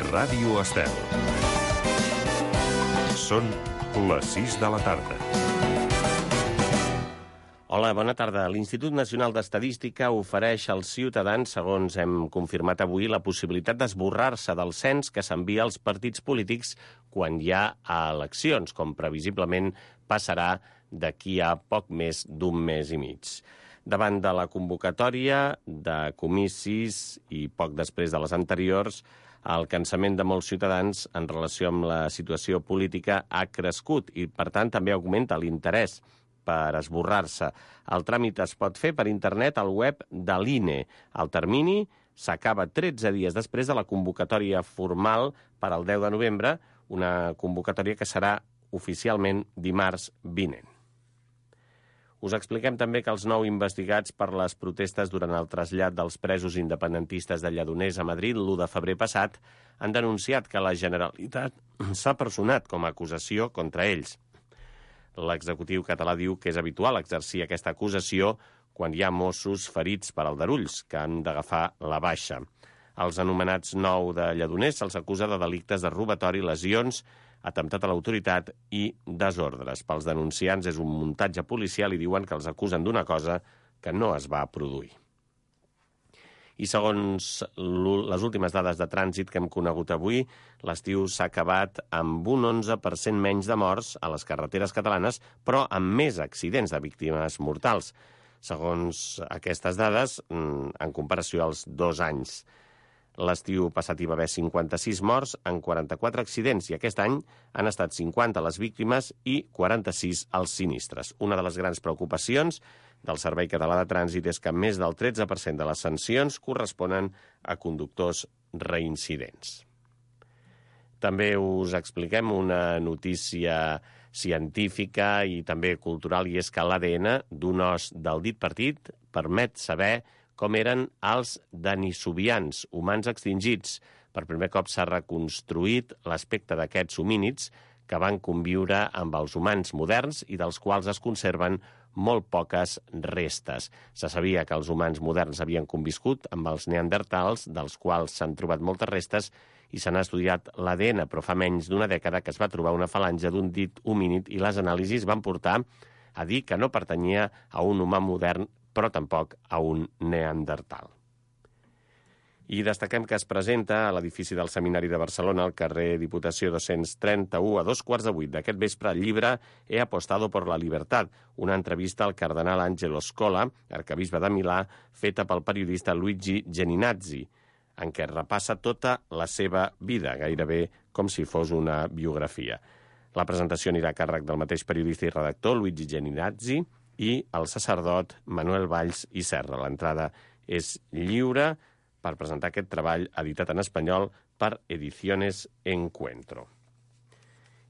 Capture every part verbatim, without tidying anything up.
Ràdio Estel. Són les sis de la tarda. Hola, bona tarda. L'Institut Nacional d'Estadística ofereix als ciutadans, segons hem confirmat avui, la possibilitat d'esborrar-se del cens que s'envia als partits polítics quan hi ha eleccions, com previsiblement passarà d'aquí a poc més d'un mes i mig. Davant de la convocatòria de comicis i poc després de les anteriors, el cansament de molts ciutadans en relació amb la situació política ha crescut i, per tant, també augmenta l'interès per esborrar-se. El tràmit es pot fer per internet al web de l'I N E. El termini s'acaba tretze dies després de la convocatòria formal per al deu de novembre, una convocatòria que serà oficialment dimarts vinent. Us expliquem també que els nou investigats per les protestes durant el trasllat dels presos independentistes de Lledoners a Madrid l'u de febrer passat han denunciat que la Generalitat s'ha personat com a acusació contra ells. L'executiu català diu que és habitual exercir aquesta acusació quan hi ha Mossos ferits per aldarulls, que han d'agafar la baixa. Els anomenats nou de Lledoners se'ls acusa de delictes de robatori, lesions, atemptat a l'autoritat i desordres. Pels denunciants és un muntatge policial i diuen que els acusen d'una cosa que no es va produir. I segons les últimes dades de trànsit que hem conegut avui, l'estiu s'ha acabat amb un onze per cent menys de morts a les carreteres catalanes, però amb més accidents de víctimes mortals, segons aquestes dades, en comparació als dos anys. L'estiu passat hi va haver cinquanta-sis morts en quaranta-quatre accidents i aquest any han estat cinquanta les víctimes i quaranta-sis els sinistres. Una de les grans preocupacions del Servei Català de Trànsit és que més del tretze per cent de les sancions corresponen a conductors reincidents. També us expliquem una notícia científica i també cultural, i és que l'A D N d'un os del dit partit permet saber com eren els denisovians, humans extingits. Per primer cop s'ha reconstruït l'aspecte d'aquests homínids que van conviure amb els humans moderns i dels quals es conserven molt poques restes. Se sabia que els humans moderns havien conviscut amb els neandertals, dels quals s'han trobat moltes restes, i se n'ha estudiat l'A D N, però fa menys d'una dècada que es va trobar una falange d'un dit homínid i les anàlisis van portar a dir que no pertanyia a un humà modern, però tampoc a un neandertal. I destaquem que es presenta a l'edifici del Seminari de Barcelona, al carrer Diputació dos-cents trenta-u, a dos quarts de vuit d'aquest vespre, el llibre He apostado por la libertad, una entrevista al cardenal Angelo Scola, arquebisbe de Milà, feta pel periodista Luigi Geninazzi, en què repassa tota la seva vida, gairebé com si fos una biografia. La presentació anirà a càrrec del mateix periodista i redactor, Luigi Geninazzi, i el sacerdot Manuel Valls i Serra. L'entrada és lliure per presentar aquest treball editat en espanyol per Ediciones Encuentro.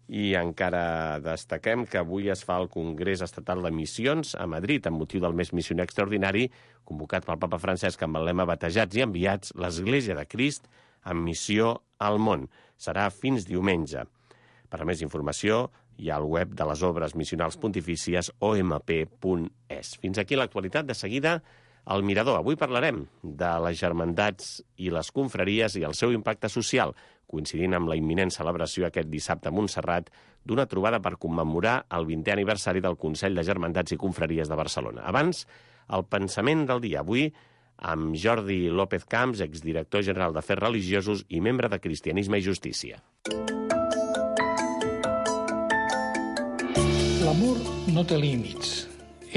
I encara destaquem que avui es fa el Congrés Estatal de Missions a Madrid amb motiu del mes missioner extraordinari convocat pel papa Francesc amb el lema Batejats i enviats, l'Església de Crist en missió al món. Serà fins diumenge. Per a més informació hi ha al web de les obres missionals pontifícies o m p punt e s. Fins aquí l'actualitat. De seguida, al Mirador. Avui parlarem de les germandats i les confraries i el seu impacte social, coincidint amb la imminent celebració aquest dissabte a Montserrat d'una trobada per commemorar el vintè aniversari del Consell de Germandats i Confraries de Barcelona. Abans, el pensament del dia. Avui, amb Jordi López Camps, exdirector general d'Afers Religiosos i membre de Cristianisme i Justícia. L'amor no té límits,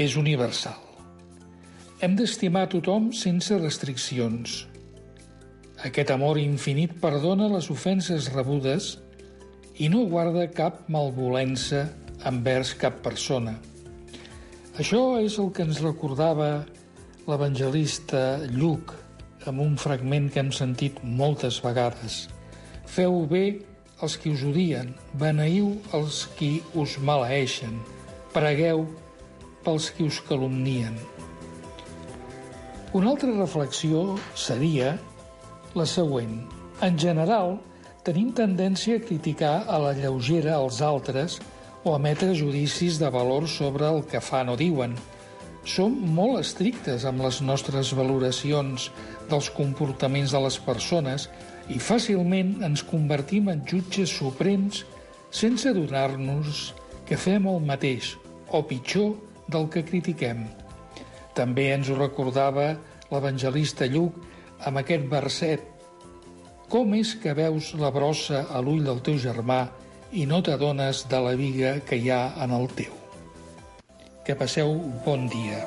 és universal. Hem d'estimar tothom sense restriccions. Aquest amor infinit perdona les ofenses rebudes i no guarda cap malvolença envers cap persona. Això és el que ens recordava l'evangelista Lluc amb un fragment que hem sentit moltes vegades. Feu bé els qui us odien, beneiu els qui us maleeixen, pregueu pels qui us calumnien. Una altra reflexió seria la següent. En general, tenim tendència a criticar a la lleugera els altres o a emetre judicis de valor sobre el que fan o diuen, som molt estrictes amb les nostres valoracions dels comportaments de les persones i fàcilment ens convertim en jutges suprems sense adonar-nos que fem el mateix, o pitjor, del que critiquem. També ens ho recordava l'evangelista Lluc amb aquest verset: com és que veus la brossa a l'ull del teu germà i no t'adones de la biga que hi ha en el teu? Que passeu un bon dia.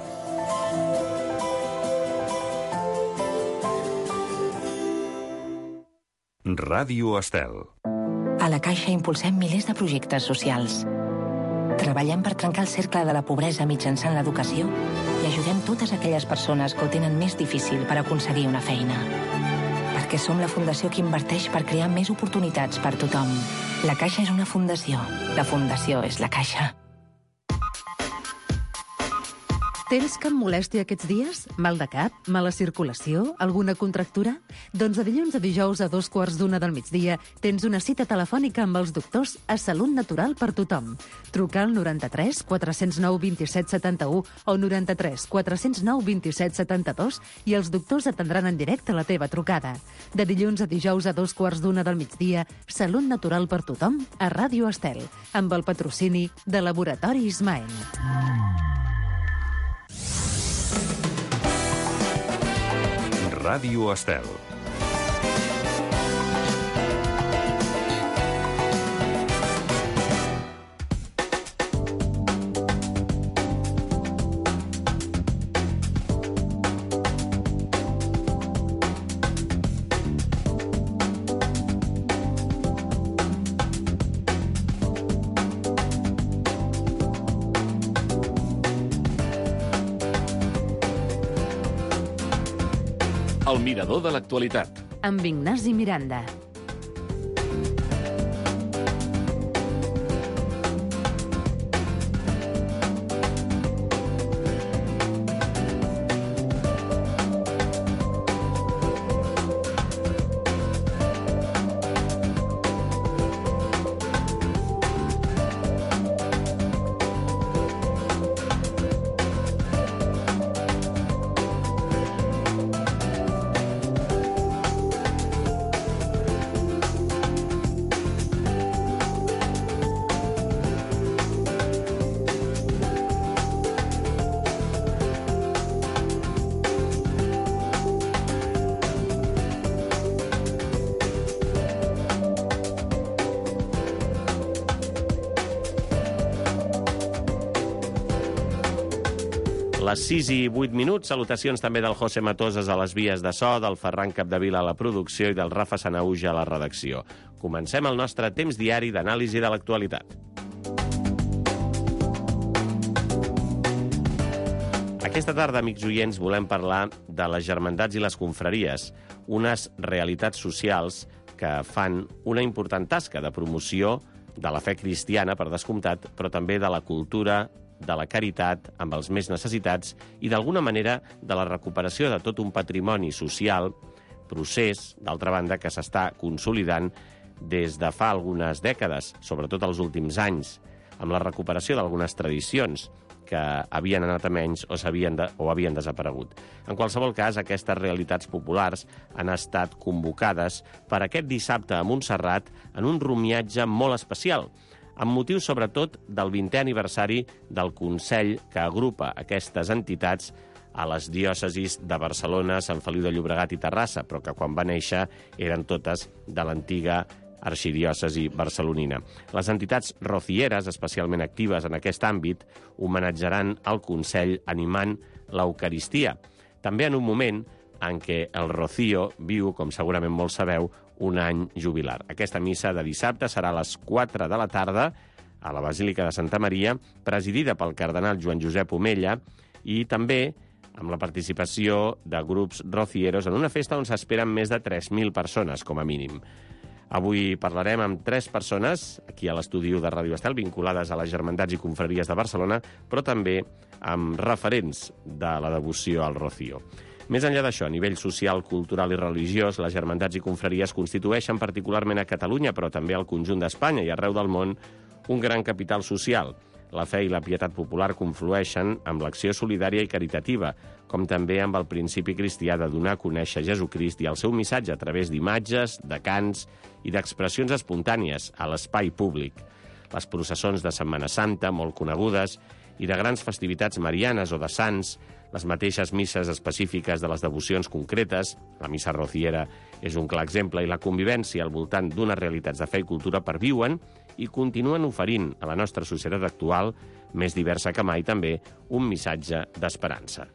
Ràdio Estel. A la Caixa impulsem milers de projectes socials. Treballem per trencar el cercle de la pobresa mitjançant l'educació i ajudem totes aquelles persones que ho tenen més difícil per aconseguir una feina. Perquè som la fundació que inverteix per crear més oportunitats per tothom. La Caixa és una fundació. La fundació és la Caixa. Tens cap molèstia aquests dies? Mal de cap? Mala circulació? Alguna contractura? Doncs de dilluns a dijous a dos quarts d'una del migdia tens una cita telefònica amb els doctors a Salut Natural per tothom. Truca al noranta-tres quatre zero nou vint-i-set setanta-u o noranta-tres quatre zero nou vint-i-set setanta-dos i els doctors atendran en directe la teva trucada. De dilluns a dijous a dos quarts d'una del migdia, Salut Natural per tothom a Ràdio Estel, amb el patrocini de Laboratori Ismael. Ràdio Estel. El mirador de l'actualitat. Amb Ignasi Miranda. Les sis i vuit minuts, salutacions també del José Matoses a les vies de so, del Ferran Capdevila a la producció i del Rafa Sanauja a la redacció. Comencem el nostre temps diari d'anàlisi de l'actualitat. Aquesta tarda, amics oients, volem parlar de les germandats i les confraries, unes realitats socials que fan una important tasca de promoció de la fe cristiana, per descomptat, però també de la cultura, de la caritat amb els més necessitats i, d'alguna manera, de la recuperació de tot un patrimoni social, procés, d'altra banda, que s'està consolidant des de fa algunes dècades, sobretot els últims anys, amb la recuperació d'algunes tradicions que havien anat a menys o, de, o havien desaparegut. En qualsevol cas, aquestes realitats populars han estat convocades per aquest dissabte a Montserrat en un rumiatge molt especial, amb motiu sobretot del vintè aniversari del Consell que agrupa aquestes entitats a les diòcesis de Barcelona, Sant Feliu de Llobregat i Terrassa, però que quan va néixer eren totes de l'antiga arxidiòcesi barcelonina. Les entitats rocieres, especialment actives en aquest àmbit, homenatjaran el Consell animant l'Eucaristia. També en un moment en què el Rocío viu, com segurament molts sabeu, un any jubilar. Aquesta missa de dissabte serà a les quatre de la tarda a la Basílica de Santa Maria, presidida pel cardenal Joan Josep Omella i també amb la participació de grups rocieros en una festa on s'esperen més de tres mil persones, com a mínim. Avui parlarem amb tres persones aquí a l'estudi de Ràdio Estel vinculades a les germandats i confraries de Barcelona, però també amb referents de la devoció al Rocío. Més enllà d'això, a nivell social, cultural i religiós, les germandats i confraries constitueixen particularment a Catalunya, però també al conjunt d'Espanya i arreu del món, un gran capital social. la fe i la pietat popular conflueixen amb l'acció solidària i caritativa, com també amb el principi cristià de donar a conèixer Jesucrist i el seu missatge a través d'imatges, de cants i d'expressions espontànies a l'espai públic. Les processons de Setmana Santa, molt conegudes, i de grans festivitats marianes o de sants, les mateixes misses específiques de les devocions concretes, la missa rociera és un clar exemple, i la convivència al voltant d'unes realitats de fe i cultura perviuen i continuen oferint a la nostra societat actual, més diversa que mai també, un missatge d'esperança.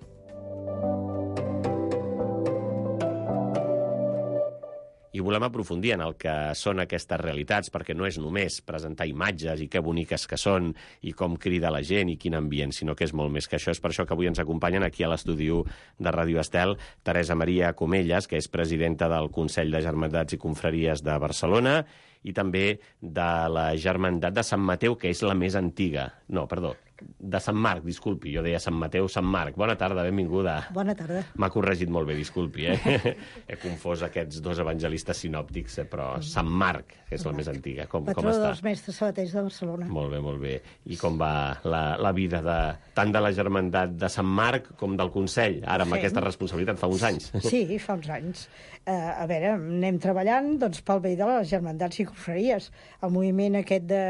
I volem aprofundir en el que són aquestes realitats, perquè no és només presentar imatges i que boniques que són i com crida la gent i quin ambient, sinó que és molt més que això. És per això que avui ens acompanyen aquí a l'estudi de Ràdio Estel Teresa Maria Comellas, que és presidenta del Consell de Germandats i Confraries de Barcelona, i també de la Germandat de Sant Mateu, que és la més antiga. No, perdó, de Sant Marc, disculpi, jo deia Sant Mateu, Sant Marc. Bona tarda, benvinguda. Bona tarda. M'ha corregit molt bé, disculpi, eh? He confós aquests dos evangelistes sinòptics, eh? Però Sant Marc, que és la més antiga. Com, com Patró està? dels mestres sabaters de Barcelona. Molt bé, molt bé. I com va la, la vida de, tant de la Germandat de Sant Marc com del Consell, ara amb Sí. aquesta responsabilitat, fa uns anys? Sí, fa uns anys. Uh, a veure, anem treballant doncs, pel bé de les germandats i confraries. El moviment aquest de,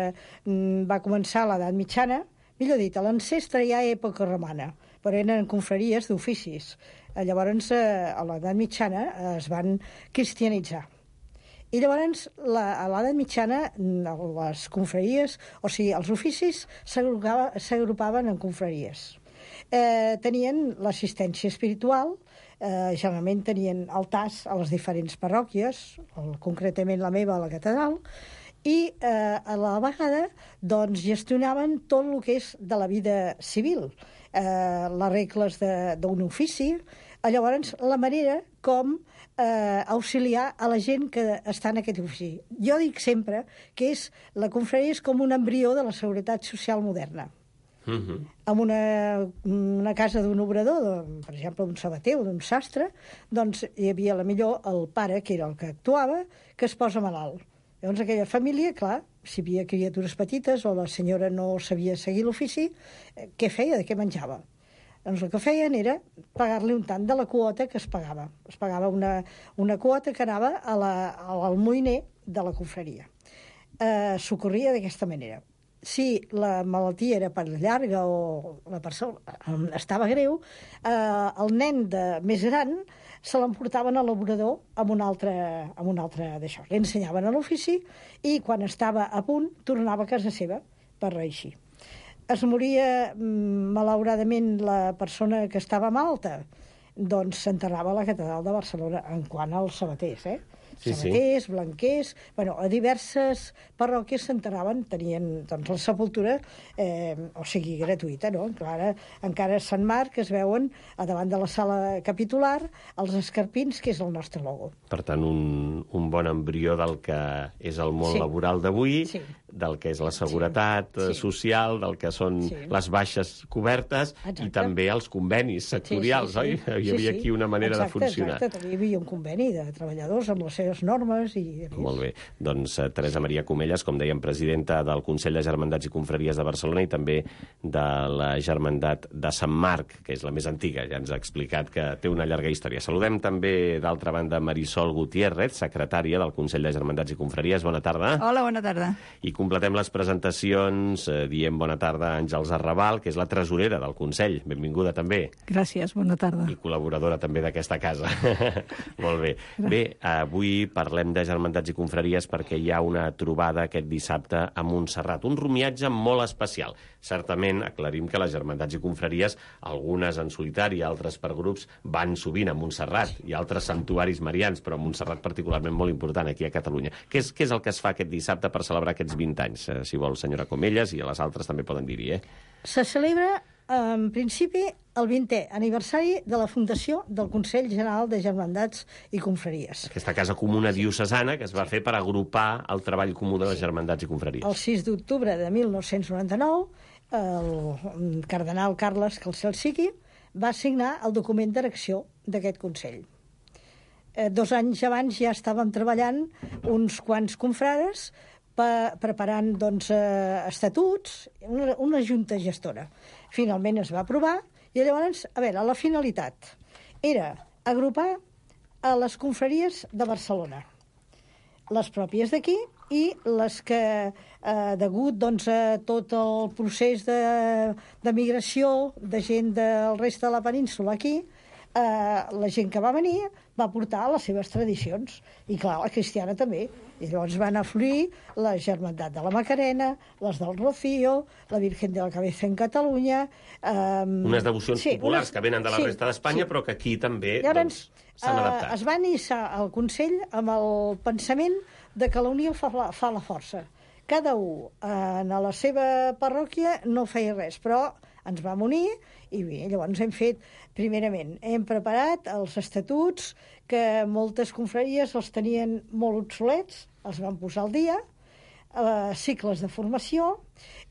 mm, va començar a l'edat mitjana, millor dit, a l'ancestre ja època romana, però eren confraries d'oficis. Eh, llavors, eh, a l'edat mitjana eh, es van cristianitzar. I llavors, la, a l'edat mitjana, les confraries, o sigui, els oficis s'agrupaven en confraries. Eh, tenien l'assistència espiritual, eh, generalment tenien altars a les diferents parròquies, el, concretament la meva a la catedral, i eh, a la vegada doncs, gestionaven tot el que és de la vida civil, eh, les regles d'un ofici, llavors la manera com eh, auxiliar a la gent que està en aquest ofici. Jo dic sempre que és, la confraria és com un embrió de la seguretat social moderna. Uh-huh. En una, una casa d'un obrador, de, per exemple, d'un sabater o d'un sastre, doncs hi havia la millor el pare, que era el que actuava, que es posa malalt. Llavors aquella família, clar, si hi havia criatures petites o la senyora no sabia seguir l'ofici, eh, què feia, de què menjava? Doncs el que feien era pagar-li un tant de la quota que es pagava. Es pagava una, una quota que anava a la, al moïner de la confraria. Eh, S'ocorria d'aquesta manera. Si la malaltia era per llarga o la persona estava greu, eh, el nen de més gran se l'emportaven a l'obrador amb un altre, amb un altre d'això. Li ensenyaven a l'ofici i quan estava a punt tornava a casa seva per reeixir. Es moria, malauradament, la persona que estava malalta, doncs s'enterrava a la catedral de Barcelona, en quant als sabaters, eh? Sí, sabaters, sí. blanquers, bueno, a diverses parròquies s'enterraven, tenien doncs, la sepultura, eh, o sigui, gratuïta, no? Encara, encara a Sant Marc es veuen a davant de la sala capitular els escarpins, que és el nostre logo. Per tant, un, un bon embrió del que és el món Sí. laboral d'avui, Sí. del que és la seguretat Sí. eh, social, del que són Sí. les baixes cobertes Exacte. i també els convenis sectorials, oi? Hi havia aquí una manera exacte, de funcionar. Exacte, també hi havia un conveni de treballadors amb les seves normes i... Molt bé. Doncs eh, Teresa Maria Comellas, com dèiem, presidenta del Consell de Germandats i Confraries de Barcelona i també de la Germandat de Sant Marc, que és la més antiga. Ja ens ha explicat que té una llarga història. Saludem també, d'altra banda, Marisol Gutiérrez, secretària del Consell de Germandats i Confraries. Bona tarda. Hola, bona tarda. I completem les presentacions eh, diem bona tarda a Àngels Arrabal, que és la tresorera del Consell. Benvinguda també. Gràcies, bona tarda. I col·laboradora també d'aquesta casa. Molt bé. Bé, avui parlem de germandats i confraries perquè hi ha una trobada aquest dissabte a Montserrat. Un romiatge molt especial. Certament, aclarim que les germandats i confraries, algunes en solitari, altres per grups, van sovint a Montserrat i altres santuaris marians, però a Montserrat particularment molt important aquí a Catalunya. Què és, què és el que es fa aquest dissabte per celebrar aquests vint anys? Eh, si vol, senyora Comellas, i a les altres també poden dir-hi, eh? Se celebra, en principi, el vintè aniversari de la fundació del Consell General de Germandats i Confraries. Aquesta casa comuna diocesana que es va fer per agrupar el treball comú de les germandats i confraries. El sis d'octubre de mil nou-cents noranta-nou, el cardenal Carles, que el cel sigui, va signar el document d'erecció d'aquest Consell. Eh, dos anys abans ja estàvem treballant uns quants confrares pa, preparant doncs, eh, estatuts, una, una junta gestora. Finalment es va aprovar i llavors, a veure, la finalitat era agrupar a les confraries de Barcelona, les pròpies d'aquí i les que, eh, degut doncs, a tot el procés de, de migració de gent del reste de la península aquí, eh, la gent que va venir va portar les seves tradicions. I clar, la cristiana també. I llavors van afluir la Germandat de la Macarena, les del Rocío, la Virgen de la Cabeza en Catalunya... Eh, unes devocions sí, populars unes, que venen de la sí, resta d'Espanya, sí. però que aquí també llavors, doncs, s'han eh, adaptat. Es va iniciar el Consell amb el pensament de que la unió fa la, fa la força. Cada un eh, en la seva parròquia no feia res, però ens vam unir i bé, llavors hem fet, primerament, hem preparat els estatuts que moltes confraries els tenien molt obsolets, els van posar al dia, eh, cicles de formació,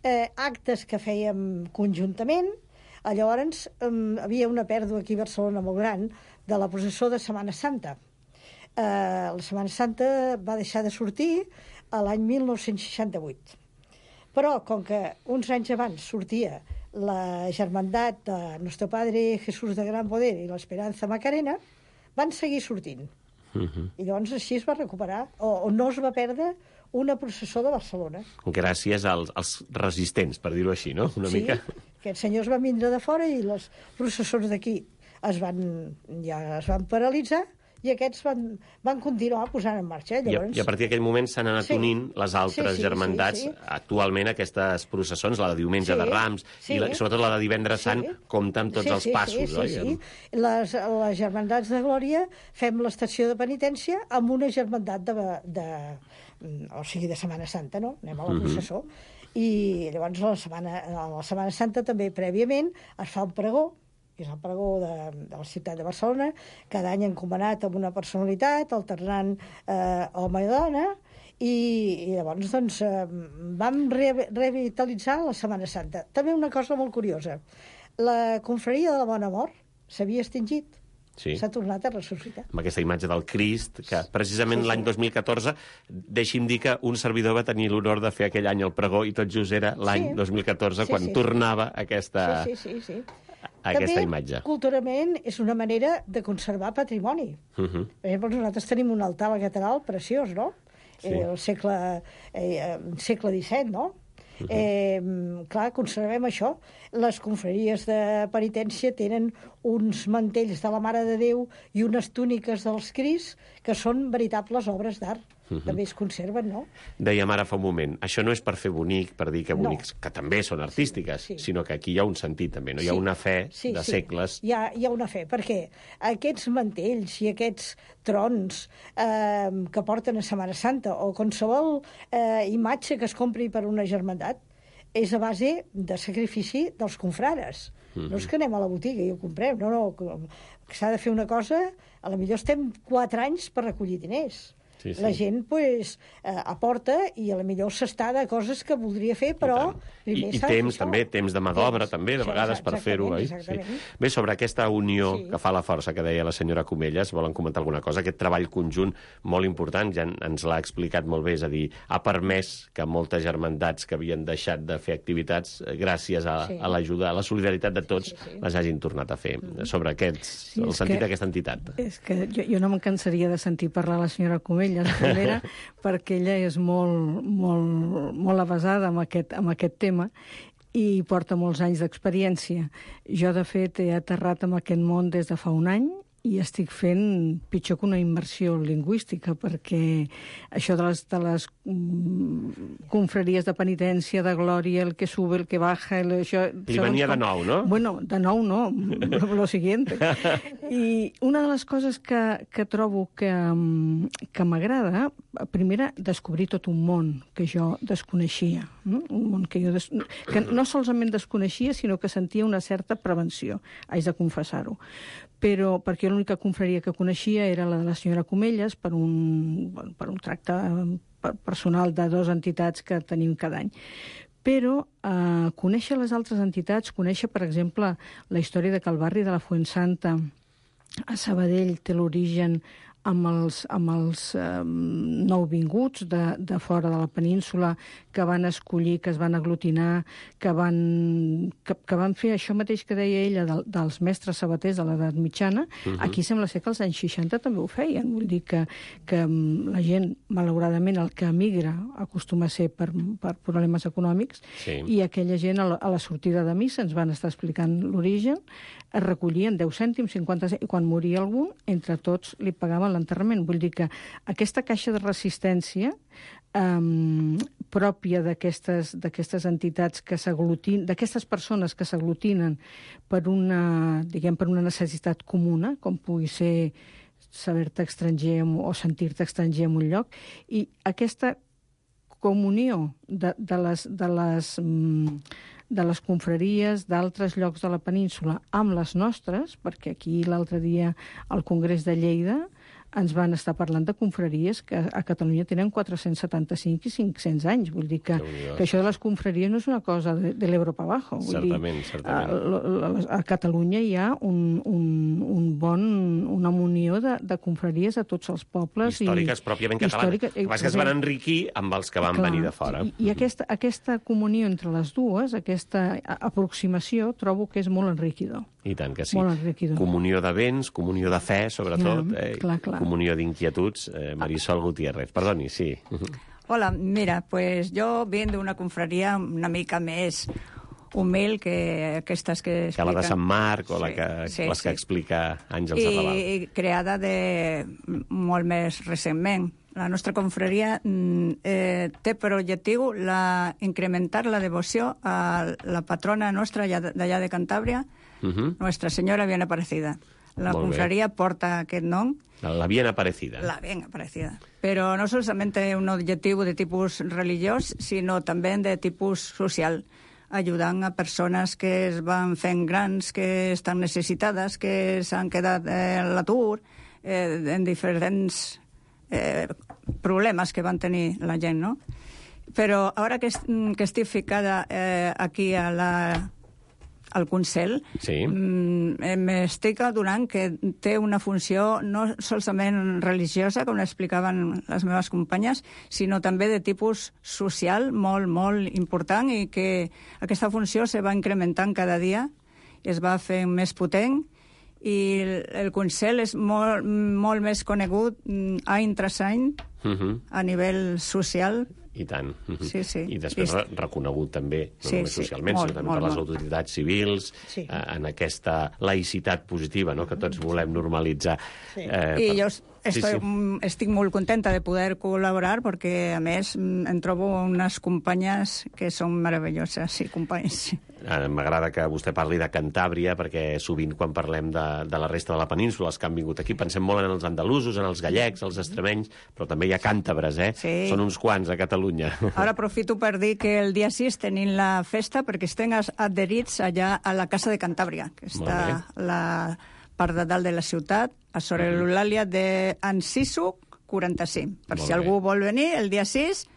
eh, actes que fèiem conjuntament. Llavors eh, havia una pèrdua aquí a Barcelona molt gran de la processó de Setmana Santa. Eh, la Setmana Santa va deixar de sortir a l'any mil nou-cents seixanta-vuit. Però, com que uns anys abans sortia la germandat de Nuestro Padre Jesús de Gran Poder i l'Esperanza Macarena, van seguir sortint. Uh-huh. I llavors així es va recuperar, o, o no es va perdre una processó de Barcelona. Gràcies als, als resistents, per dir-ho així, no? Una sí, mica. Aquests senyors van vindre de fora i les processons d'aquí es van, ja es van paralitzar i aquests van, van continuar posant en marxa. Llavors... I, a, I a partir d'aquell moment s'han anat sí. unint les altres sí, sí, germandats. Sí, sí. Actualment aquestes processons, la de diumenge sí, de Rams sí. i la, sobretot la de divendres sí. Sant, compta amb tots sí, els sí, passos. Sí, sí, oi? sí. Les, les germandats de Glòria fem l'estació de penitència amb una germandat de, de, o sigui, de Setmana Santa, no? Anem a la processó. Uh -huh. I llavors a la, setmana, a la Setmana Santa també prèviament es fa un pregó, que és el pregó de, de la ciutat de Barcelona, cada any encomanat amb una personalitat, alternant eh, home i dona, i, i llavors doncs, eh, vam re revitalitzar la Setmana Santa. També una cosa molt curiosa, la confraria de la Bona Mort s'havia extingit, sí. s'ha tornat a ressuscitar. Amb aquesta imatge del Crist, que precisament sí, sí. l'any dos mil catorze, deixi'm dir que un servidor va tenir l'honor de fer aquell any el pregó, i tot just era l'any sí. dos mil catorze, sí, quan sí, tornava aquesta... Sí, sí, sí, sí. aquesta També, imatge. Culturalment, és una manera de conservar patrimoni. Uh -huh. Per exemple, nosaltres tenim un altar a la catedral preciós, no? Sí. Eh, el segle, eh, segle disset, no? Uh -huh. eh, clar, conservem això. Les confraries de penitència tenen uns mantells de la Mare de Déu i unes túniques dels Crists que són veritables obres d'art. Uh-huh. També es conserven, no? Dèiem ara fa un moment, això no és per fer bonic, per dir que bonics, no. que també són artístiques, sí, sí. sinó que aquí hi ha un sentit també, no? Hi ha sí. una fe sí, de sí. segles. Hi ha, hi ha una fe, perquè aquests mantells i aquests trons eh, que porten a Setmana Santa o qualsevol eh, imatge que es compri per una germandat és a base de sacrifici dels confrares. Uh-huh. No és que anem a la botiga i ho comprem, no, no, que s'ha de fer una cosa, a la millor estem quatre anys per recollir diners. Sí, sí. La gent pues, eh, aporta i a la millor s'està de coses que voldria fer, però... I, i temps, també, temps de mà d'obra, també, de vegades, per fer-ho. Sí. Bé, sobre aquesta unió sí. que fa la força, que deia la senyora Comelles, volen comentar alguna cosa? Aquest treball conjunt molt important, ja ens l'ha explicat molt bé, és a dir, ha permès que moltes germandats que havien deixat de fer activitats, gràcies a, sí. a l'ajuda, a la solidaritat de tots, sí, sí, sí. les hagin tornat a fer. Mm. Sobre aquests, sí, el sentit d'aquesta entitat. És que jo, jo no me'n cansaria de sentir parlar la senyora Comelles, la primera, perquè ella és molt, molt, molt avasada amb aquest, amb aquest tema i porta molts anys d'experiència. Jo, de fet, he aterrat en aquest món des de fa un any i estic fent pitjor que una immersió lingüística, perquè això de les, de les mm, confraries de penitència, de glòria, el que sube, el que baja... El, això, Li venia com... de nou, no? Bueno, de nou no, lo siguiente. I una de les coses que, que trobo que, que m'agrada, primera, descobrir tot un món que jo desconeixia, no? Un món que jo des... que no solament desconeixia, sinó que sentia una certa prevenció, haig de confessar-ho. Però perquè l'única confraria que coneixia era la de la senyora Comelles per un, per un tracte personal de dues entitats que tenim cada any. Però eh, conèixer les altres entitats, conèixer, per exemple, la història de que el barri de la Fuensanta a Sabadell té l'origen amb els, amb els eh, nouvinguts de, de fora de la península que van escollir, que es van aglutinar, que van, que, que van fer això mateix que deia ella de, dels mestres sabaters de l'edat mitjana. Uh-huh. Aquí sembla ser que els anys seixanta també ho feien. Vull dir que, que la gent, malauradament, el que emigra acostuma a ser per, per problemes econòmics, sí. I aquella gent a la, a la sortida de missa ens van estar explicant l'origen, es recollien deu cèntims, cinquanta cèntims, i quan moria algú, entre tots li pagaven l'enterrament. Vull dir que aquesta caixa de resistència um, pròpia d'aquestes d'aquestes entitats que s'aglutinen, d'aquestes persones que s'aglutinen per una, diguem, per una necessitat comuna, com pugui ser saber-te estranger o sentir-te estranger en un lloc, i aquesta comunió de, de les... De les de les confraries d'altres llocs de la península amb les nostres, perquè aquí l'altre dia al Congrés de Lleida ens van estar parlant de confraries que a Catalunya tenen quatre-cents setanta-cinc i cinc-cents anys. Vull dir que, que això de les confraries no és una cosa de, de l'Ebro pa abajo. Vull certament, dir, certament. A, a Catalunya hi ha un, un, un bon, una munió de, de confraries a tots els pobles. Històriques, i, pròpiament catalanes. Històrica, que es van enriquir amb els que van clar, venir de fora. I, i aquesta, aquesta comunió entre les dues, aquesta aproximació, trobo que és molt enriquidor. I tant que sí. Molt enriquidor. Comunió de béns, comunió de fe, sobretot. Ja, eh, clar, clar. Comunió d'inquietuds. Eh, Marisol Gutiérrez, perdoni, sí. Hola, mira, pues yo vengo de una confraria una mica més humil que aquestes que explica... Que la de Sant Marc o sí, la que, sí, les que sí. explica Àngels I, Arrabal. I creada de molt més recentment. La nostra confraria eh, té per objectiu la, incrementar la devoció a la patrona nostra d'allà de Cantàbria, uh-huh. Nuestra Senyora Bien Aparecida. La molt confraria bé. Porta aquest nom. La Bien Aparecida. La Bien Aparecida. Però no solament un objectiu de tipus religiós, sinó també de tipus social, ajudant a persones que es van fent grans, que estan necessitades, que s'han quedat eh, a l'atur, eh, en diferents eh, problemes que van tenir la gent, no? Però ara que, que estic ficada eh, aquí a la... al Consell, sí. m'estic adonant que té una funció no solament religiosa, com explicaven les meves companyes, sinó també de tipus social molt, molt important, i que aquesta funció se va incrementant cada dia, es va fent més potent, i el Consell és molt, molt més conegut any tras any uh-huh. a nivell social. I tant. Sí, sí. I després I... reconegut també, no sí, només socialment, sí, molt, sinó també molt, per les molt. autoritats civils, sí. eh, en aquesta laïcitat positiva, no?, que tots volem normalitzar. Sí. Eh, I per... jo estoy, sí, sí. estic molt contenta de poder col·laborar, perquè, a més, em trobo unes companyes que són meravelloses, sí, companys. Eh, M'agrada que vostè parli de Cantàbria, perquè sovint quan parlem de, de la resta de la península, els que han vingut aquí, pensem molt en els andalusos, en els gallecs, els extremenys, però també hi ha càntabres, eh? Sí. Són uns quants a Catalunya. Ara aprofito per dir que el dia sis tenim la festa perquè estem adherits allà a la Casa de Cantàbria, que està a la part de dalt de la ciutat, a sobre mm. l'Eulàlia d'Enciso quaranta-cinc. Per molt si algú bé. vol venir, el dia sis...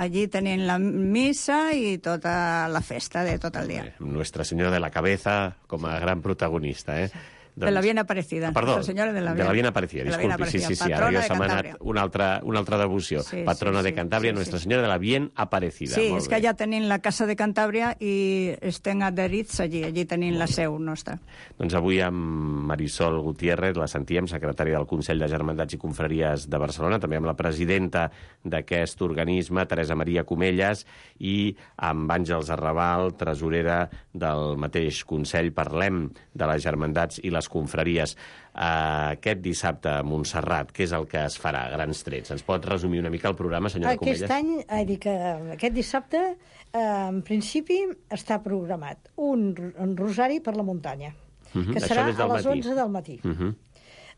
allí tenim la missa i tota la festa de tot el dia. Nuestra Senyora de la Cabeza com a gran protagonista, eh? Doncs... De la Bien Aparecida. Perdó, Nuestra Senyora de la Bien, de la Bien Aparecida, disculpi. Bien Aparecida. Sí, sí, sí, ara ja se m'ha anat una altra, una altra devoció. Sí, Patrona sí, sí, de Cantàbria, sí, Nuestra sí. Senyora de la Bien Aparecida. Sí, molt és bé. que allà tenim la Casa de Cantàbria i estem adherits allí, allí tenim la seu nostra. Doncs avui amb Marisol Gutiérrez, la sentíem, secretària del Consell de Germandats i Confraries de Barcelona, també amb la presidenta d'aquest organisme, Teresa Maria Comelles, i amb Àngels Arrabal, tresorera del mateix Consell. Parlem de les germandats i les confraries. Uh, aquest dissabte a Montserrat, què és el que es farà a grans trets? Ens pot resumir una mica el programa, senyora Comelles? Aquest any, he dit que aquest dissabte, eh, en principi, està programat un, un rosari per la muntanya, uh-huh. que serà a les matí. onze del matí. Uh-huh.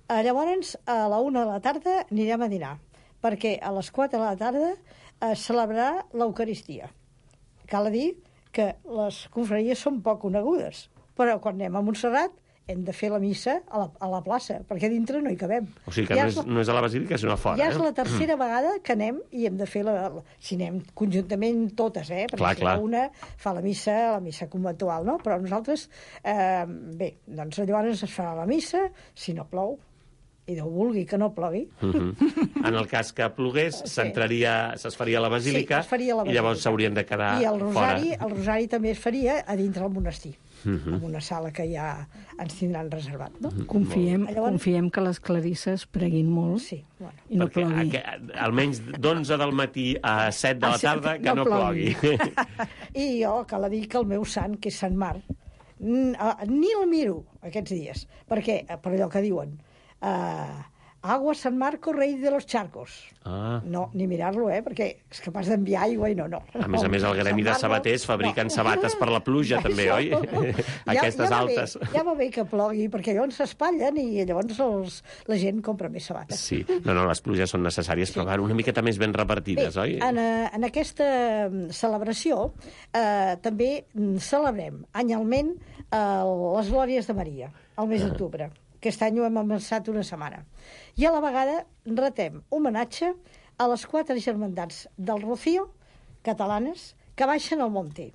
Uh, llavors, a la una de la tarda anirem a dinar, perquè a les quatre de la tarda es celebrarà l'Eucaristia. Cal dir que les confraries són poc conegudes, però quan anem a Montserrat hem de fer la missa a la, a la plaça, perquè dintre no hi cabem. O sigui que ja no, és, la, no és a la basílica, sinó a fora. Ja eh? és la tercera mm. vegada que anem i hem de fer la, la... Si anem conjuntament totes, eh? Perquè clar, si clar. una fa la missa, la missa conventual, no? Però nosaltres, eh, bé, doncs llavors es farà la missa, si no plou. i Déu vulgui que no plogui. Uh -huh. En el cas que plogués, s'entraria, sí. es faria a la basílica, sí, faria la basílica. I llavors s'haurien de quedar I el rosari, fora. el rosari també es faria a dintre del monestir, uh -huh. en una sala que ja ens tindran reservat. No? Uh -huh. Confiem, llavors... confiem que les clarisses preguin molt sí, bueno. i no Perquè plogui. Aquest, almenys d'onze del matí a set de la tarda, que no, no plogui. I jo, cal dir que el meu sant, que és Sant Marc, ni el miro aquests dies, perquè, per allò que diuen, uh, agua San Marco, rei de los charcos. Ah. No, ni mirar-lo, eh, perquè és capaç d'enviar aigua i no, no. A més a més, el gremi de sabaters fabriquen no. sabates per la pluja, també, Això, oi? No. Aquestes ja, ja altes. Bé, ja va bé que plogui, perquè llavors s'espatllen i llavors els, la gent compra més sabates. Sí, no, no, les pluges són necessàries, sí. però van una miqueta més ben repartides, bé, oi? En, en aquesta celebració eh, també celebrem anyalment eh, les Glòries de Maria, al mes d'octubre. Aquest any ho hem avançat una setmana. I a la vegada retem homenatge a les quatre germandats del Rocío, catalanes, que baixen al Monte.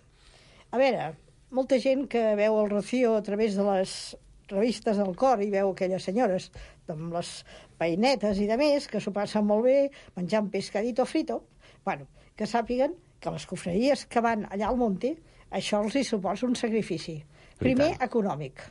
A veure, molta gent que veu el Rocío a través de les revistes del cor i veu aquelles senyores amb les peinetes i de més, que s'ho passen molt bé, menjant pescadito frito, bueno, que sàpiguen que les cofreries que van allà al Monte, això els hi suposa un sacrifici. Primer, econòmic,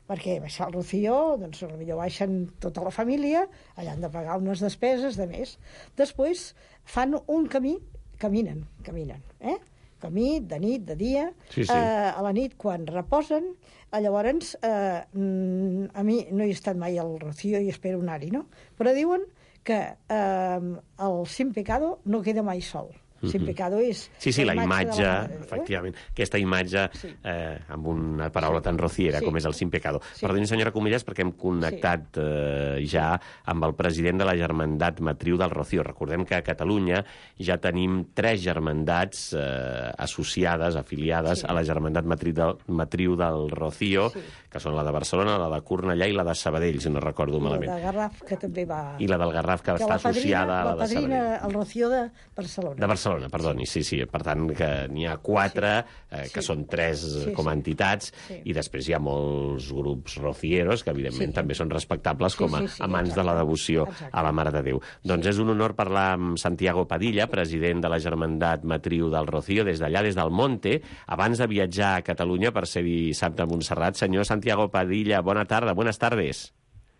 perquè baixar al Rocío, doncs potser baixen tota la família, allà han de pagar unes despeses de més. Després fan un camí, caminen, caminen, eh? Camí de nit, de dia, sí, sí. Eh, a la nit quan reposen, llavors, eh, a mi no he estat mai al Rocío i espero anar-hi, no? Però diuen que eh, el Sin Pecado no queda mai sol. Sin Pecado és... Sí, sí, la imatge, la efectivament, aquesta imatge sí. eh, amb una paraula tan rociera sí. com és el Sin Pecado. Sí. Perdoni, senyora Comelles, perquè hem connectat eh, ja amb el president de la Germandat Matriu del Rocío. Recordem que a Catalunya ja tenim tres germandats eh, associades, afiliades sí. a la Germandat Matriu del, Matriu del Rocío, sí. que són la de Barcelona, la de Cornellà i la de Sabadell, si no recordo I malament. I la de Garraf, que també va... I la del Garraf, que, que està padrina, associada a la, la de Sabadell. La padrina, el Rocío de Barcelona. De Barcelona, perdoni, sí, sí. Per tant, que n'hi ha quatre, eh, que sí. són tres sí, com a entitats, sí. i després hi ha molts grups rocieros, que evidentment sí. també són respectables sí, com a sí, sí, amants exacte. de la devoció exacte. a la Mare de Déu. Sí. Doncs és un honor parlar amb Santiago Padilla, president de la Germandat Matriu del Rocío, des d'allà, des del Monte, abans de viatjar a Catalunya per ser dissabte a Montserrat. Senyor Santiago Padilla, bona tarda, buenas tardes.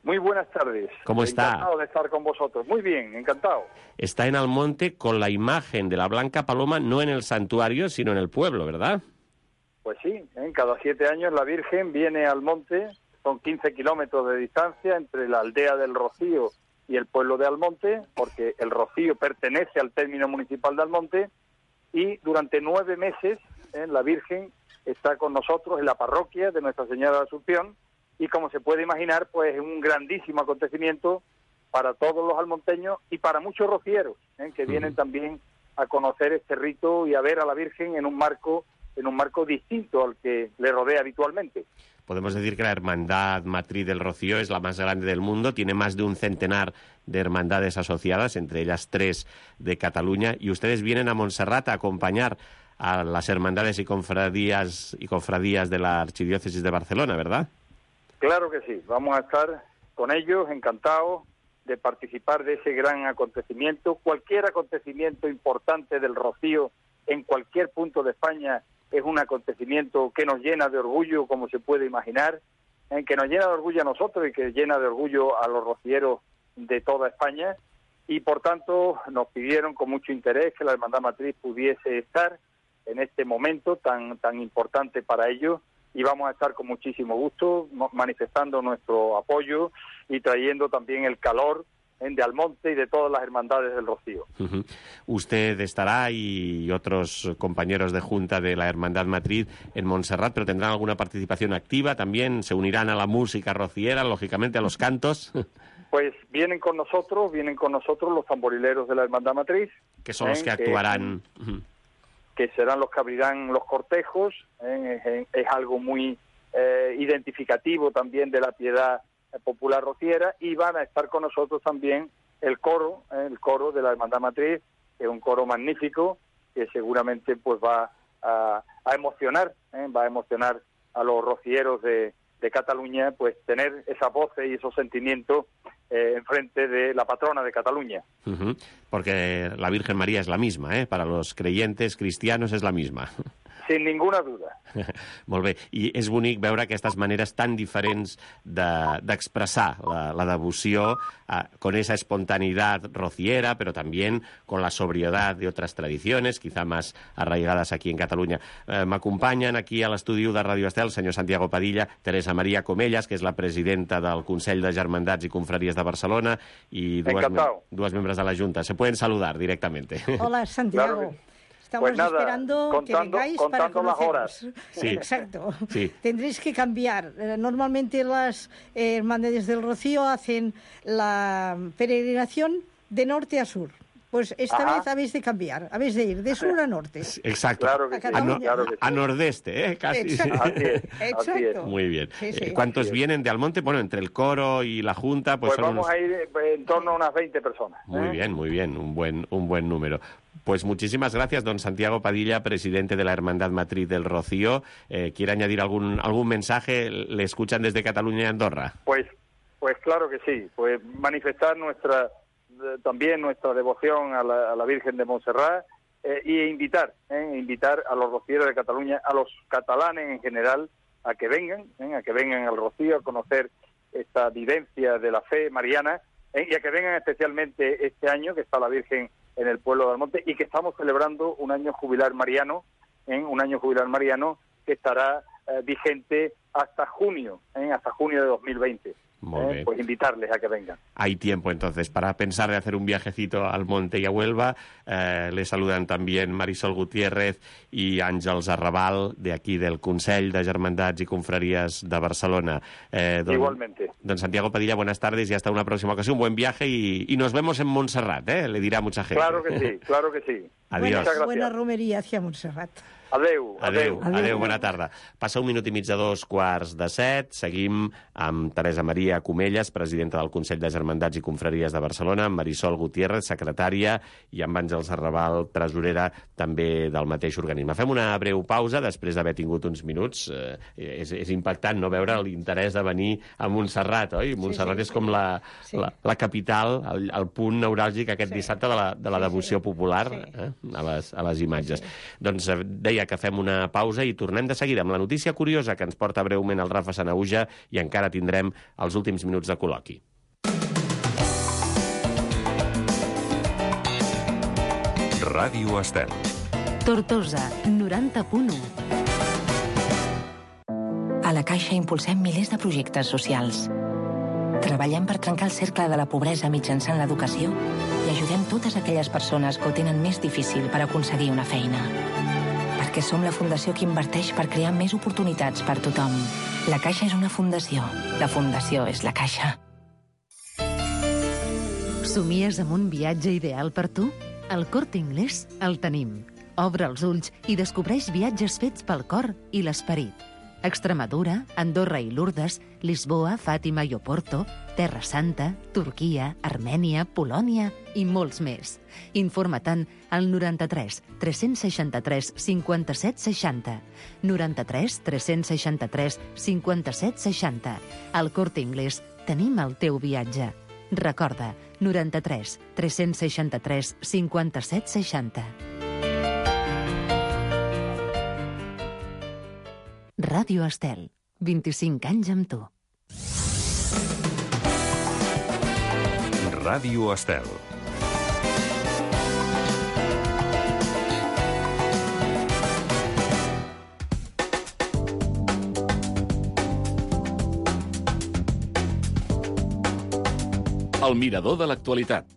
Muy buenas tardes. ¿Cómo está? Encantado de estar con vosotros. Muy bien, encantado. Está en el monte con la imagen de la Blanca Paloma, no en el santuario, sino en el pueblo, ¿verdad? Pues sí, ¿eh? Cada siete años la Virgen viene al monte, son quince kilómetros de distancia entre la aldea del Rocío y el pueblo de Almonte, porque el Rocío pertenece al término municipal de Almonte, y durante nueve meses ¿eh? la Virgen está con nosotros en la parroquia de Nuestra Señora de Asunción. Y como se puede imaginar, pues es un grandísimo acontecimiento para todos los almonteños y para muchos rocieros, ¿eh? que vienen uh-huh. también a conocer este rito y a ver a la Virgen en un marco en un marco distinto al que le rodea habitualmente. Podemos decir que la Hermandad Matriz del Rocío es la más grande del mundo, tiene más de un centenar de hermandades asociadas, entre ellas tres de Cataluña, y ustedes vienen a Montserrat a acompañar a las hermandades y cofradías y cofradías de la Archidiócesis de Barcelona, ¿verdad? Claro que sí, vamos a estar con ellos, encantados de participar de ese gran acontecimiento. Cualquier acontecimiento importante del Rocío en cualquier punto de España es un acontecimiento que nos llena de orgullo, como se puede imaginar, en que nos llena de orgullo a nosotros y que llena de orgullo a los rocieros de toda España. Y por tanto nos pidieron con mucho interés que la Hermandad Matriz pudiese estar en este momento tan, tan importante para ellos. Y vamos a estar con muchísimo gusto manifestando nuestro apoyo y trayendo también el calor ¿eh? de Almonte y de todas las hermandades del Rocío. Uh-huh. Usted estará y otros compañeros de Junta de la Hermandad Matriz en Montserrat, pero tendrán alguna participación activa también, se unirán a la música rociera, lógicamente a los cantos. Pues vienen con nosotros, vienen con nosotros los tamborileros de la Hermandad Matriz. Que son ¿eh? los que actuarán... Que... Uh-huh. que serán los que abrirán los cortejos, ¿eh? es, es algo muy eh, identificativo también de la piedad popular rociera, y van a estar con nosotros también el coro, ¿eh? el coro de la Hermandad Matriz, que es un coro magnífico, que seguramente pues va a, a emocionar, ¿eh? va a emocionar a los rocieros de, de Cataluña, pues tener esas voces y esos sentimientos eh, enfrente de la patrona de Cataluña. Uh-huh. Porque la Virgen María es la misma, ¿eh? Para los creyentes cristianos es la misma. Sin ninguna duda. Molt bé. I és bonic veure aquestes maneres tan diferents d'expressar de, la, la devoció eh, con esa espontaneidad rociera, pero también con la sobriedad de otras tradiciones, quizá más arraigadas aquí en Cataluña. Eh, M'acompanyen aquí a l'estudi de Radio Estel el senyor Santiago Padilla, Teresa María Comellas, que és la presidenta del Consell de Germandats i Confraries de Barcelona, i dues, mem dues membres de la Junta. Se pueden saludar directamente. Hola, Santiago. Claro que... Estamos pues nada, esperando contando, que vengáis contando para las horas. Sí. Exacto. Sí. Tendréis que cambiar. Normalmente las eh, hermandades del Rocío hacen la peregrinación de norte a sur. Pues esta Ajá. vez habéis de cambiar, habéis de ir de sur a norte. Exacto. Claro que a, sí, a, no, claro que sí. a nordeste, ¿eh? Casi. Exacto. Así es, Exacto. así es. Muy bien. Sí, sí. Eh, ¿Cuántos vienen de Almonte? Bueno, entre el coro y la Junta, pues, Pues son vamos unos... a ir eh, en torno a unas veinte personas. Muy ¿eh? bien, muy bien, un buen, un buen número. Pues muchísimas gracias, don Santiago Padilla, presidente de la Hermandad Matriz del Rocío. Eh, ¿Quiere añadir algún, algún mensaje? ¿Le escuchan desde Cataluña y Andorra? Pues, pues claro que sí. Pues manifestar nuestra eh, también nuestra devoción a la, a la Virgen de Montserrat eh, e invitar, eh, invitar a los rocieros de Cataluña, a los catalanes en general, a que vengan, eh, a que vengan al Rocío a conocer esta vivencia de la fe mariana eh, y a que vengan especialmente este año que está la Virgen en el pueblo de Almonte y que estamos celebrando un año jubilar mariano, ¿eh? un año jubilar mariano que estará eh, vigente hasta junio, ¿eh? hasta junio de dos mil veinte. Molt bé. Eh, pues invitarles a que vengan. Hay tiempo entonces para pensar de hacer un viajecito al monte y a Huelva. Eh, le saludan también Marisol Gutiérrez y Àngels Arrabal, de aquí del Consell de Germandats y Confrarías de Barcelona. Eh, don, Igualmente. Don Santiago Padilla, buenas tardes y hasta una próxima ocasión. Buen viaje y, y nos vemos en Montserrat, ¿eh? Le dirá mucha gente. Claro que sí, claro que sí. Adiós. Buena, buena romería hacia Montserrat. Adeu, Adeu, adeu. adeu, adeu, bona tarda. Passa un minut i mig de dos quarts de set. Seguim amb Teresa Maria Comellas, presidenta del Consell de Germandats i Confraries de Barcelona, amb Marisol Gutiérrez, secretària, i amb Àngels Arrabal, tresorera, també del mateix organisme. Fem una breu pausa, després d'haver tingut uns minuts. Eh, és, és impactant no veure l'interès de venir a Montserrat, oi? Montserrat sí, sí, és com la, sí. la, la capital, el, el punt neuràlgic aquest sí. dissabte de la, de la devoció sí, sí. popular sí. Eh, a, les, a les imatges. Sí, sí. Doncs deia que fem una pausa i tornem de seguida amb la notícia curiosa que ens porta breument el Rafa Sanahuja i encara tindrem els últims minuts de col·loqui. Ràdio Estel. Tortosa, noranta punt u. A la Caixa impulsem milers de projectes socials. Treballem per trencar el cercle de la pobresa mitjançant l'educació i ajudem totes aquelles persones que ho tenen més difícil per aconseguir una feina. Perquè som la fundació que inverteix per crear més oportunitats per tothom. La Caixa és una fundació. La fundació és la Caixa. Somies amb un viatge ideal per tu? Al Corte Inglés el tenim. Obre els ulls i descobreix viatges fets pel cor i l'esperit. Extremadura, Andorra i Lourdes, Lisboa, Fàtima i Oporto, Terra Santa, Turquia, Armènia, Polònia i molts més. Informa-te'n al noranta-tres tres-cents seixanta-tres cinquanta-set seixanta. noranta-tres tres-cents seixanta-tres cinquanta-set seixanta. Al Corte Inglés tenim el teu viatge. Recorda, noranta-tres tres-cents seixanta-tres cinquanta-set seixanta. Ràdio Estel, vint-i-cinc anys amb tu. Ràdio Estel. El mirador de l'actualitat.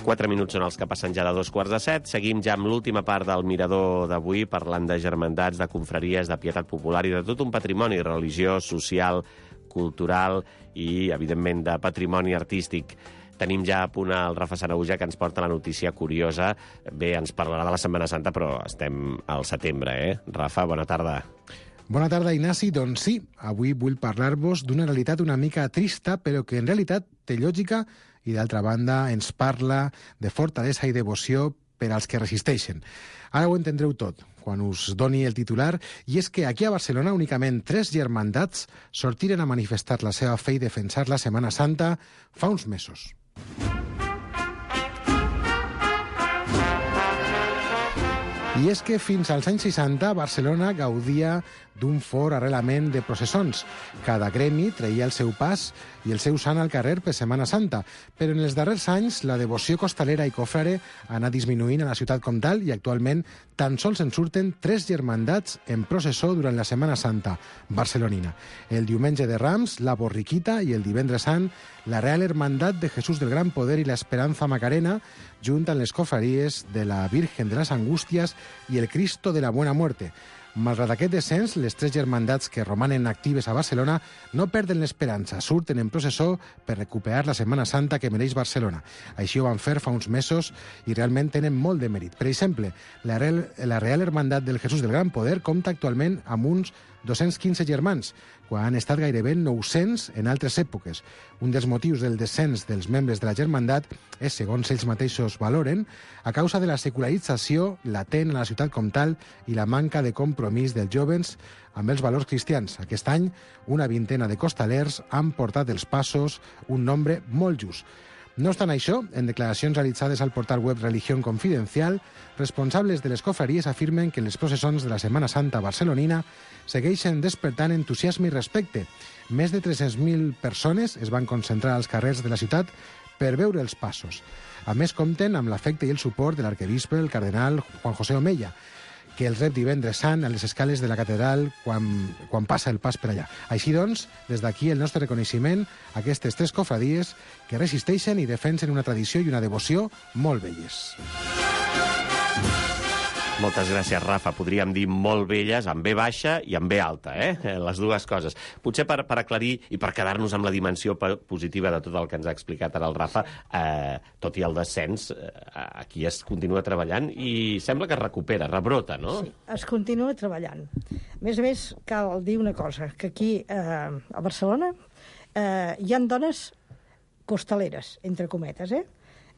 Quatre minuts són els que passen ja de dos quarts de set. Seguim ja amb l'última part del mirador d'avui, parlant de germandats, de confraries, de pietat popular i de tot un patrimoni religiós, social, cultural i, evidentment, de patrimoni artístic. Tenim ja a punt el Rafa Sanahuja, que ens porta la notícia curiosa. Bé, ens parlarà de la Setmana Santa, però estem al setembre, eh? Rafa, bona tarda. Bona tarda, Ignasi. Doncs sí, avui vull parlar-vos d'una realitat una mica trista, però que en realitat té lògica i, d'altra banda, ens parla de fortalesa i devoció per als que resisteixen. Ara ho entendreu tot quan us doni el titular, i és que aquí a Barcelona únicament tres germandats sortiren a manifestar la seva fe i defensar la Setmana Santa fa uns mesos. I és que fins als anys seixanta Barcelona gaudia d'un fort arrelament de processons. Cada gremi treia el seu pas i el seu sant al carrer per Setmana Santa, però en els darrers anys la devoció costalera i cofrare ha anat disminuint a la ciutat comtal i actualment tan sols en surten tres germandats en processó durant la Setmana Santa barcelonina. El diumenge de Rams, la Borriquita, i el divendres sant, la Real Hermandad de Jesús del Gran Poder i la Esperanza Macarena, junt amb les cofraries de la Virgen de las Angustias i el Cristo de la Buena Muerte. Malgrat aquest descens, les tres germandats que romanen actives a Barcelona no perden l'esperança, surten en processó per recuperar la Setmana Santa que mereix Barcelona. Així ho van fer fa uns mesos i realment tenen molt de mèrit. Per exemple, la Real, la Real Hermandad del Jesús del Gran Poder compta actualment amb uns dos-cents quinze germans, quan han estat gairebé nou-cents en altres èpoques. Un dels motius del descens dels membres de la germandat és, segons ells mateixos valoren, a causa de la secularització latent a la ciutat comtal i la manca de compromís dels jovens amb els valors cristians. Aquest any, una vintena de costalers han portat els passos, un nombre molt just. No obstant això, en declaracions realitzades al portal web Religión Confidencial, responsables de les cofraries afirmen que les processons de la Setmana Santa barcelonina segueixen despertant entusiasme i respecte. Més de tres-cents mil persones es van concentrar als carrers de la ciutat per veure els passos. A més, compten amb l'afecte i el suport de l'arquebisbe, el cardenal Juan José Omeya, que el rep divendres sant a les escales de la catedral quan, quan passa el pas per allà. Així doncs, des d'aquí el nostre reconeixement a aquestes tres cofradies que resisteixen i defensen una tradició i una devoció molt belles. Moltes gràcies, Rafa. Podríem dir molt belles, amb B baixa i amb B alta, eh? Les dues coses. Potser per, per aclarir i per quedar-nos amb la dimensió positiva de tot el que ens ha explicat ara el Rafa, eh, tot i el descens, eh, aquí es continua treballant i sembla que es recupera, rebrota, no? Sí, es continua treballant. A més a més, cal dir una cosa, que aquí, eh, a Barcelona, eh, hi ha dones costaleres, entre cometes, eh?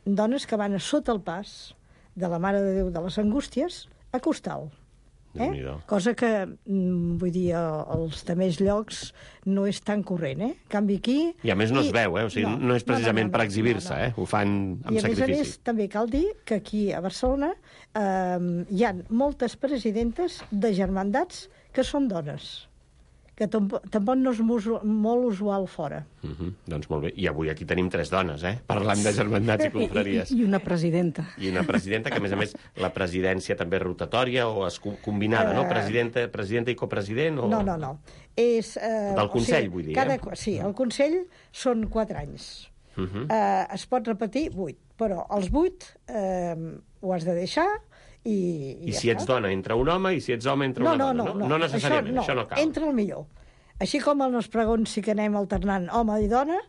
Dones que van a sota el pas de la Mare de Déu de les Angústies a Costal. Eh? Cosa que, vull dir, als altres llocs no és tan corrent, eh? En canvi aquí... I a més no es veu, eh? O sigui, no, no és precisament no, no, no, per exhibir-se, no, no. eh? Ho fan amb I a sacrifici. més a més, també cal dir que aquí a Barcelona eh, hi ha moltes presidentes de germandats que són dones, que tampoc, tampoc no és molt usual fora. Uh -huh. Doncs molt bé. I avui aquí tenim tres dones, eh? Parlant de germandats i confraries. I, I una presidenta. I una presidenta, que a més a més la presidència també és rotatòria o és combinada, uh, no? Presidenta, presidenta i copresident? O... No, no, no. És, eh, Del Consell, o sigui, vull dir, cada, eh? Sí, el Consell són quatre anys. Uh -huh. eh, es pot repetir vuit, però els vuit eh, ho has de deixar i, i, I ja si ets està. dona, entra un home, i si ets home, entra no, una no, dona, no? No, no, no necessàriament, això no, això no cal. Entra el millor. Així com en els pregons sí que anem alternant home i dona,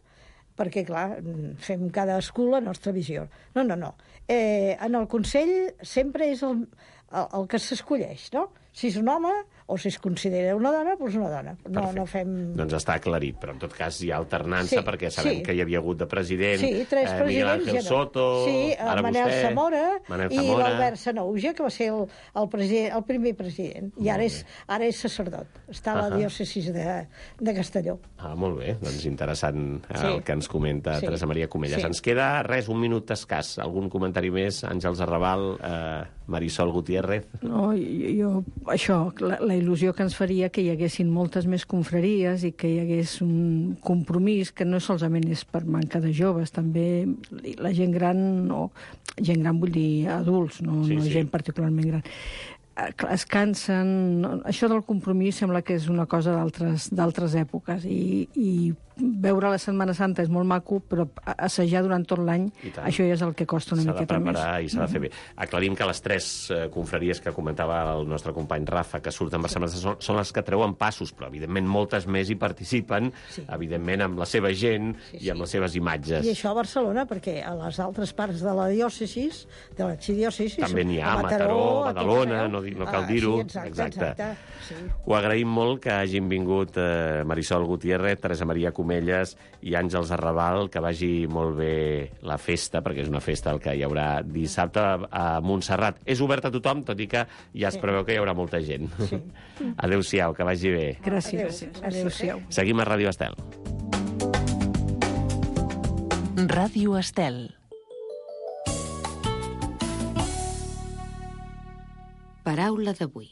perquè, clar, fem cadascú la nostra visió. No, no, no. Eh, en el Consell sempre és el, el, el que s'escolleix, no? Si és un home o si es considera una dona, doncs una dona. No, no fem... Doncs està aclarit, però en tot cas hi ha alternança, sí, perquè sabem sí. que hi havia hagut de president sí, tres eh, Miguel Ángel ja no. Soto, sí, ara Manel vostè, Zamora, Manel i Zamora. l'Albert Sanauja, que va ser el, el, president, el primer president. I ara és, ara és sacerdot. Està a la uh -huh. diòcesi de, de Castelló. Ah, molt bé. Doncs interessant eh, sí. el que ens comenta sí. Teresa Maria Comellas. Sí. Ens queda res, un minut escàs. Algun comentari més? Àngels Arrabal, eh, Marisol Gutiérrez? No, jo, jo això, la, la il·lusió que ens faria que hi haguessin moltes més confraries i que hi hagués un compromís que no solament és per manca de joves, també la gent gran, no, gent gran vull dir adults, no, sí, no sí. gent particularment gran. Es cansen... Això del compromís sembla que és una cosa d'altres èpoques i, i veure la Setmana Santa és molt maco, però assajar durant tot l'any, això ja és el que costa una miqueta més. S'ha de preparar i s'ha de fer bé. Aclarim que les tres eh, confraries que comentava el nostre company Rafa, que surten per Setmana Santa, són, són les que treuen passos, però evidentment moltes més hi participen, sí. evidentment amb la seva gent sí, sí. i amb les seves imatges. I això a Barcelona, perquè a les altres parts de la diòcesis, de l'arxidiòcesis... També n'hi ha, a Mataró, Mataró Badalona, no públic, no cal Ah, dir-ho. sí, exacte, exacte, sí. Ho agraïm molt que hagin vingut eh, Marisol Gutiérrez, Teresa Maria Comelles i Àngels Arrabal, que vagi molt bé la festa, perquè és una festa el que hi haurà dissabte a Montserrat. És obert a tothom, tot i que ja es preveu que hi haurà molta gent. Sí. Adéu-siau, que vagi bé. Gràcies. Adéu-siau. Seguim a Ràdio Estel. Ràdio Estel. Paraula d'avui.